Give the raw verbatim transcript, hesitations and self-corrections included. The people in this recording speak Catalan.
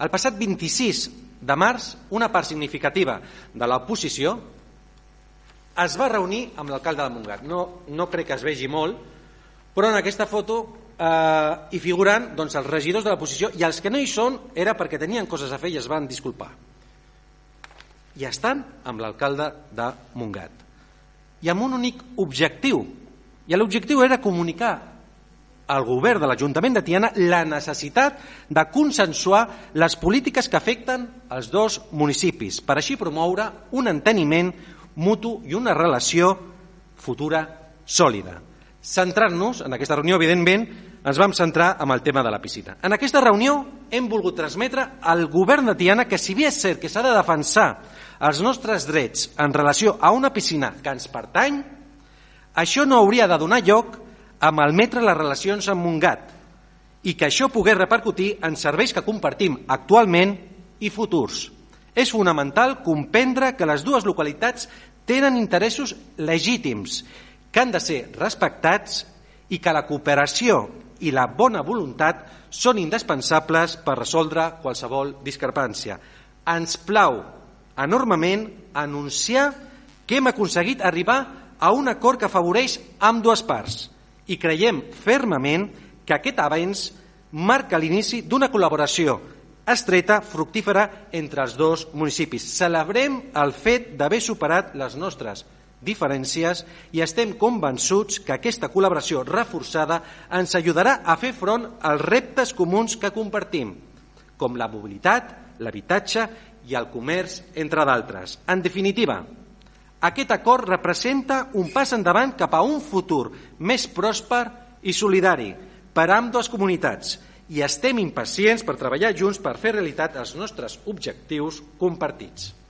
El passat vint-i-sis de març, una part significativa de l'oposició es va reunir amb l'alcalde de Montgat. No, no crec que es vegi molt, però en aquesta foto eh, hi figuren doncs, els regidors de l'oposició, i els que no hi són era perquè tenien coses a fer i es van disculpar. I estan amb l'alcalde de Montgat. I amb un únic objectiu. I l'objectiu era comunicar al govern de l'Ajuntament de Tiana la necessitat de consensuar les polítiques que afecten els dos municipis, per així promoure un enteniment mutu i una relació futura sòlida. Centrant-nos en aquesta reunió, evidentment, ens vam centrar en el tema de la piscina. En aquesta reunió hem volgut transmetre al govern de Tiana que, si bé és cert que s'ha de defensar els nostres drets en relació a una piscina que ens pertany, això no hauria de donar lloc a malmetre les relacions amb Montgat i que això pogués repercutir en serveis que compartim actualment i futurs. És fonamental comprendre que les dues localitats tenen interessos legítims que han de ser respectats i que la cooperació i la bona voluntat són indispensables per resoldre qualsevol discrepància. Ens plau enormement anunciar que hem aconseguit arribar a un acord que afavoreix ambdues parts i creiem fermament que aquest avenç marca l'inici d'una col·laboració estreta, fructífera entre els dos municipis. Celebrem el fet d'haver superat les nostres diferències i estem convençuts que aquesta col·laboració reforçada ens ajudarà a fer front als reptes comuns que compartim, com la mobilitat, l'habitatge i el comerç, entre d'altres. En definitiva, aquest acord representa un pas endavant cap a un futur més pròsper i solidari per a ambdues comunitats i estem impacients per treballar junts per fer realitat els nostres objectius compartits.